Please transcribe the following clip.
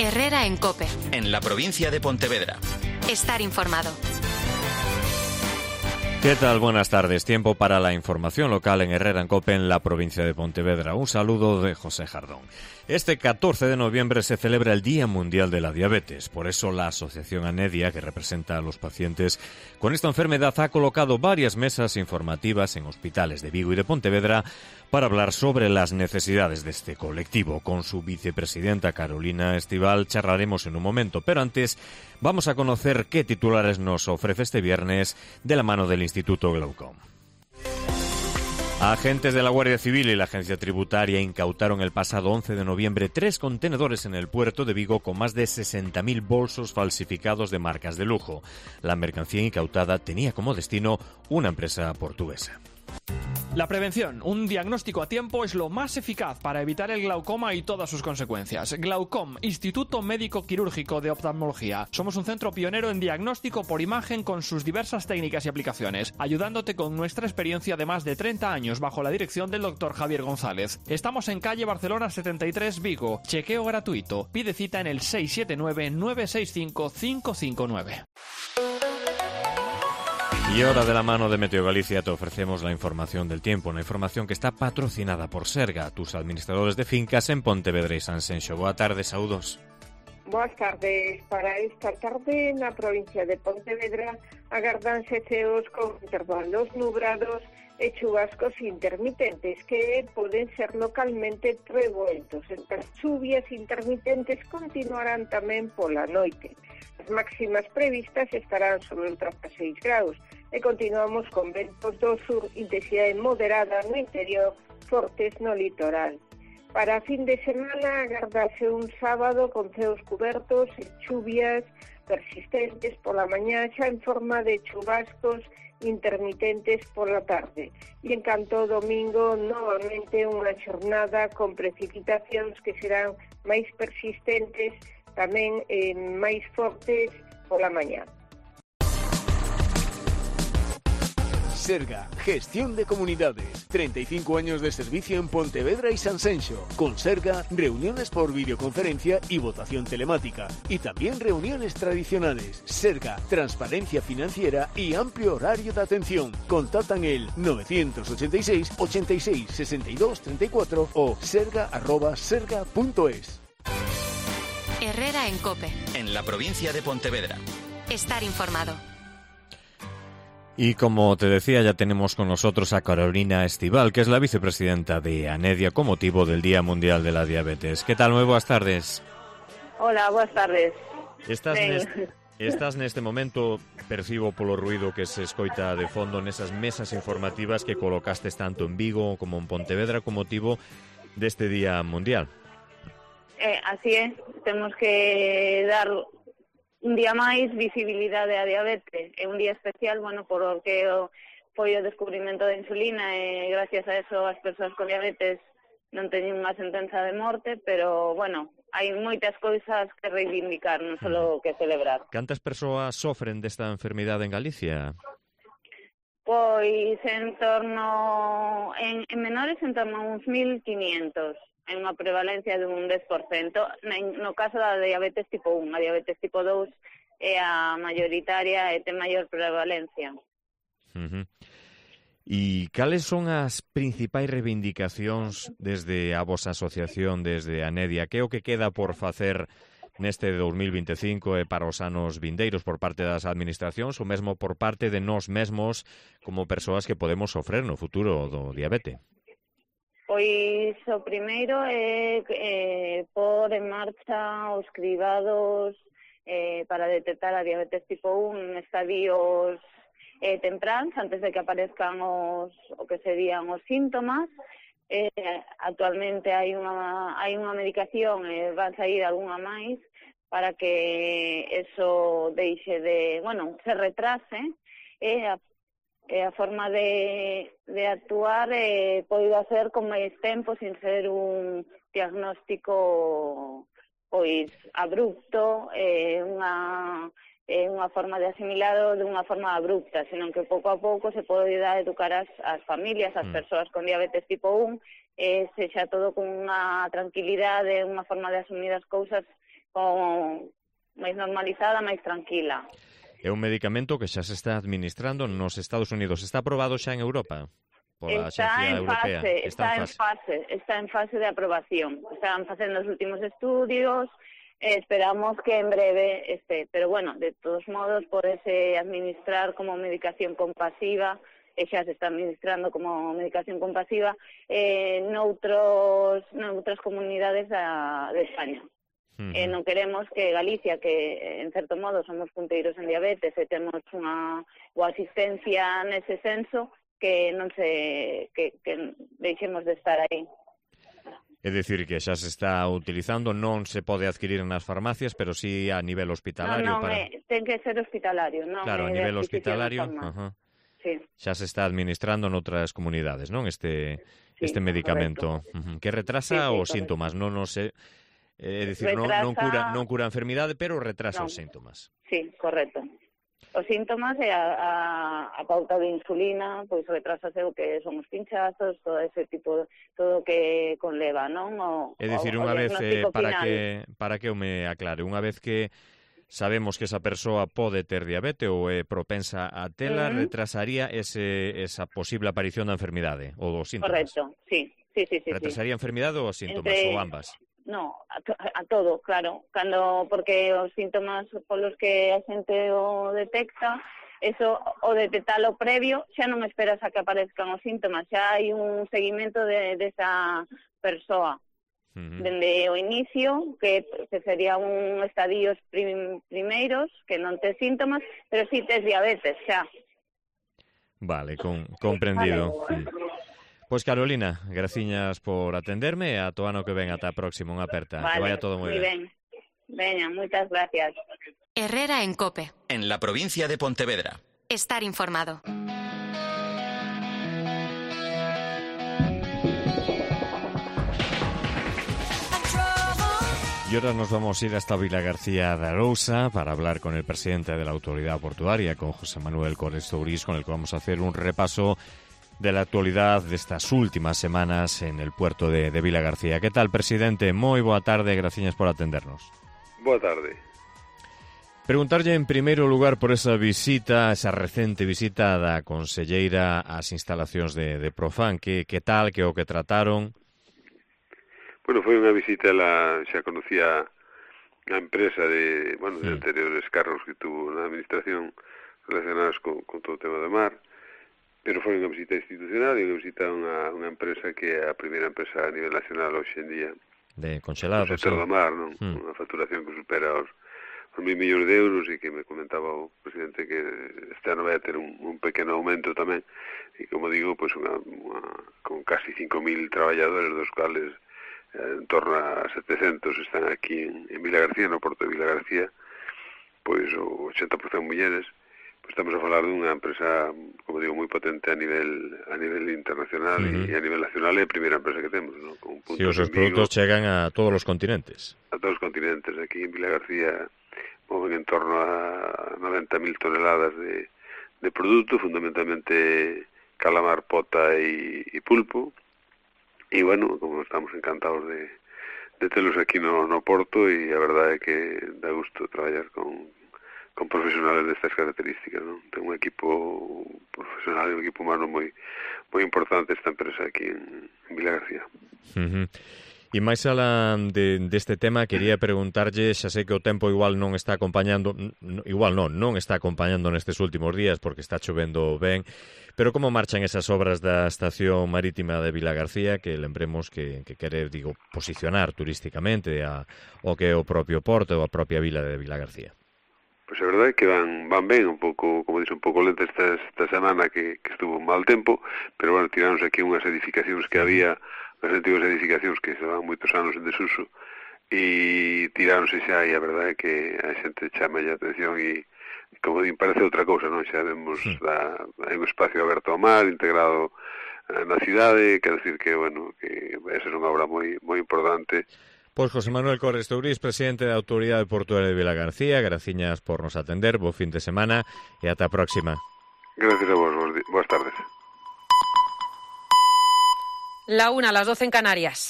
Herrera en COPE. En la provincia de Pontevedra. Estar informado. ¿Qué tal? Buenas tardes. Tiempo para la información local en Herrera en COPE en la provincia de Pontevedra. Un saludo de José Jardón. Este 14 de noviembre se celebra el Día Mundial de la Diabetes. Por eso la Asociación Anedia, que representa a los pacientes con esta enfermedad, ha colocado varias mesas informativas en hospitales de Vigo y de Pontevedra para hablar sobre las necesidades de este colectivo. Con su vicepresidenta Carolina Estival charlaremos en un momento, pero antes vamos a conocer qué titulares nos ofrece este viernes de la mano del Instituto Glaucom. Agentes de la Guardia Civil y la Agencia Tributaria incautaron el pasado 11 de noviembre 3 contenedores en el puerto de Vigo con más de 60.000 bolsos falsificados de marcas de lujo. La mercancía incautada tenía como destino una empresa portuguesa. La prevención, un diagnóstico a tiempo, es lo más eficaz para evitar el glaucoma y todas sus consecuencias. Glaucom, Instituto Médico Quirúrgico de Oftalmología. Somos un centro pionero en diagnóstico por imagen con sus diversas técnicas y aplicaciones, ayudándote con nuestra experiencia de más de 30 años bajo la dirección del Dr. Javier González. Estamos en calle Barcelona 73, Vigo. Chequeo gratuito. Pide cita en el 679-965-559. Y ahora, de la mano de Meteo Galicia, te ofrecemos la información del tiempo, una información que está patrocinada por Serga, tus administradores de fincas en Pontevedra y Sanxenxo. Boa tarde, saúdos. Boas tardes. Para esta tarde na provincia de Pontevedra agardanse ceos con intervalos nubrados e chubascos intermitentes que poden ser localmente revueltos. Estas chuvias intermitentes continuarán tamén pola noite. As máximas previstas estarán sobre os 16 graus e continuamos con ventos do sur, intensidade moderada no interior, fortes no litoral. Para fin de semana agardase un sábado con ceos cubertos e chuvias persistentes pola mañá, xa en forma de chubascos intermitentes pola tarde. E en canto domingo, novamente unha xornada con precipitacións que serán máis persistentes, tamén máis fortes pola mañá. Serga, gestión de comunidades, 35 años de servicio en Pontevedra y Sanxenxo. Con Serga, reuniones por videoconferencia y votación telemática. Y también reuniones tradicionales. Serga, transparencia financiera y amplio horario de atención. Contactan el 986 86 62 34 o serga@serga.es. Herrera en COPE. En la provincia de Pontevedra. Estar informado. Y como te decía, ya tenemos con nosotros a Carolina Estival, que es la vicepresidenta de Anedia con motivo del Día Mundial de la Diabetes. ¿Qué tal? Moi boas tardes. Hola, boas tardes. Estás neste momento, percibo polo ruido que se escoita de fondo nesas mesas informativas que colocastes tanto en Vigo como en Pontevedra con motivo deste Día Mundial. Así é, temos que dar un día máis visibilidade á diabetes. É un día especial, porque foi o descubrimento da insulina e gracias a eso as persoas con diabetes non teñen unha sentenza de morte, pero, hai moitas cousas que reivindicar, non só que celebrar. Cantas persoas sofren desta enfermidade en Galicia? Pois en menores en torno a uns 1.500. En unha prevalencia dun 10%. No caso da diabetes tipo 1, a diabetes tipo 2 é a mayoritaria e ten maior prevalencia. E cales son as principais reivindicacións desde a vosa asociación, desde Anedia? Que é o que queda por facer neste 2025 e para os anos vindeiros por parte das administracións ou mesmo por parte de nós mesmos como persoas que podemos sofrer no futuro do diabete? Pois o primeiro é pôr en marcha os cribados para detectar a diabetes tipo 1 en estadios tempráns, antes de que aparezcan o que serían os síntomas. Actualmente hai unha medicación e van sair algunha máis para que eso deixe de, se retrase a forma de actuar poida ser con máis tempo sin ser un diagnóstico pois abrupto, unha unha forma de asimilado de unha forma abrupta, senón que pouco a pouco se pode educar as familias, as persoas con diabetes tipo 1, sexa todo con unha tranquilidade, unha forma de asumir as cousas máis normalizada, máis tranquila. É un medicamento que xa se está administrando nos Estados Unidos. Está aprobado xa en Europa? Pola Axencia Europea. Está en fase de aprobación. Están facendo os últimos estudios, esperamos que en breve esté. Pero bueno, de todos modos, podese administrar como medicación compasiva, e xa se está administrando como medicación compasiva noutras comunidades de España. Non queremos que Galicia, que en certo modo somos punteiros en diabetes e temos unha boa asistencia nese senso, que non que deixemos de estar aí. É dicir, que xa se está utilizando, non se pode adquirir nas farmacias, pero sí a nivel hospitalario. Ten que ser hospitalario, non? Claro, a nivel hospitalario, sí. Xa se está administrando noutras comunidades, non? Este medicamento, que retrasa os síntomas, non sei. É dicir, non cura a enfermidade, pero retrasa os síntomas. Sí, correcto. Os síntomas e a pauta de insulina, pois retrasase o que son os pinchazos, todo ese tipo, todo o que conleva, non? É dicir, unha vez, para que eu me aclare, unha vez que sabemos que esa persoa pode ter diabetes ou é propensa a tela, retrasaría esa posible aparición da enfermidade ou dos síntomas. Correcto, sí. Retrasaría a enfermidade ou os síntomas, ou ambas? No, a todo, claro, porque os síntomas polos que a xente o detecta, eso, o detectalo previo, xa non esperas a que aparezcan os síntomas, xa hai un seguimento desa persoa. Dende o inicio, que sería un estadios primeiros, que non tes síntomas, pero si tes diabetes, xa. Vale, comprendido. Pois Carolina, graciñas por atenderme e ata o ano que ven, ata a próxima, unha aperta. Vale, que vaya todo moi ben. Veña, moitas gracias. Herrera en COPE. En la provincia de Pontevedra. Estar informado. Y ahora nos vamos a ir hasta Vilagarcía de Arousa para hablar con el presidente de la Autoridad Portuaria, con José Manuel Correstourís, con el que vamos a hacer un repaso de la actualidad de estas últimas semanas en el puerto de Vilagarcía. ¿Qué tal, presidente? Moi boa tarde, graciñas por atendernos. Boa tarde. Preguntarlle en primeiro lugar por esa visita, esa recente visita da conselleira ás instalacións de Profan. Que tal, que o que trataron? Bueno, foi unha visita, xa conocía a empresa de anteriores cargos que tuvo na administración relacionados con todo o tema do mar, pero foi unha visita institucional e unha visita a unha empresa que é a primeira empresa a nivel nacional hoxe en día de congelados, no sector do mar, non? Unha facturación que supera os 1.000 millóns de euros e que me comentaba o presidente que este ano vai a ter un pequeno aumento tamén e, como digo, pues con casi 5.000 traballadores, dos cuales en torno a 700 están aquí en Vilagarcía, no porto de Vilagarcía, pois o 80% mulleres. Pois estamos a falar dunha empresa, como digo, moi potente a nivel internacional e a nivel nacional, é a primeira empresa que temos, ¿no? Con sí, os seus produtos chegan a todos os continentes. A todos os continentes. Aquí en Vilagarcía moven en torno a 90.000 toneladas de produto, fundamentalmente calamar, pota e pulpo. E, bueno, como estamos encantados de telos aquí no Porto, e a verdade é que dá gusto traballar con profesionales destas características, non? Ten un equipo profesional e un equipo humano moi importante esta empresa aquí en Vilagarcía. E máis alá deste tema, quería preguntarlle, xa sei que o tempo igual non está acompañando, non está acompañando nestes últimos días porque está chovendo ben, pero como marchan esas obras da estación marítima de Vilagarcía, que lembremos que quere, posicionar turísticamente o que é o propio porto ou a propia vila de Vilagarcía? Pois a verdade é que van ben, un pouco, como dixo, un pouco lenta esta semana que estuvo mal tempo, pero bueno, tiramos aquí unhas edificacións que había, as antiguas edificacións que se van moitos anos en desuso, e tiráronse xa, e a verdade é que a xente chama a atención e, como din, parece outra cousa, non? Xa vemos, hai un espacio aberto ao mar, integrado na cidade, quer decir que, bueno, que vai ser unha obra moi importante Pois José Manuel Corres Tourís, presidente da Autoridade Portuaria de Vilagarcía, graciñas por nos atender, bo fin de semana e ata a próxima. Gracias a vos, boas tardes. La 1, las 12 en Canarias.